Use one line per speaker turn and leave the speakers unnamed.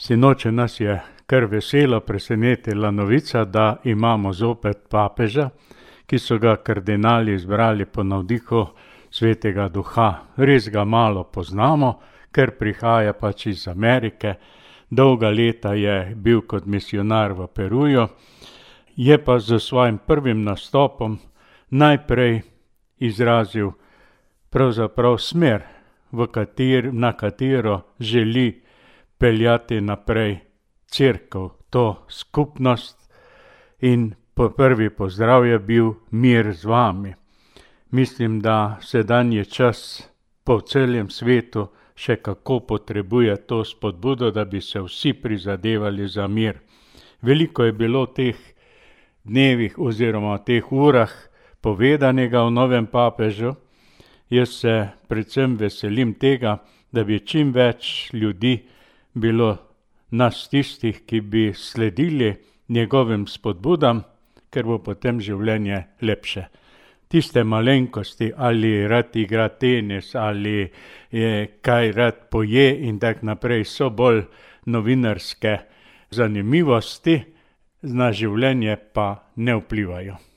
Sinoči nas je kar veselo presenetila novica, da imamo zopet papeža, ki so ga kardinali izbrali po navdihu Svetega Duha. Res ga malo poznamo, ker prihaja pač iz Amerike. Dolga leta je bil kot misionar v Peruju, je pa z svojim prvim nastopom najprej izrazil pravzaprav smer, na katero želi peljati naprej cerkev, to skupnost, in prvi pozdrav je bil mir z vami. Mislim, da sedanji čas po celem svetu še kako potrebuje to spodbudo, da bi se vsi prizadevali za mir. Veliko je bilo teh dnevih oziroma teh urah povedanega o novem papežu. Jaz se predvsem veselim tega, da bi čim več ljudi bilo nas tistih, ki bi sledili njegovim spodbudam, ker bo potem življenje lepše. Tiste malenkosti, ali rad igra tenis, ali kaj rad poje in tako naprej, so bolj novinarske zanimivosti, na življenje pa ne vplivajo.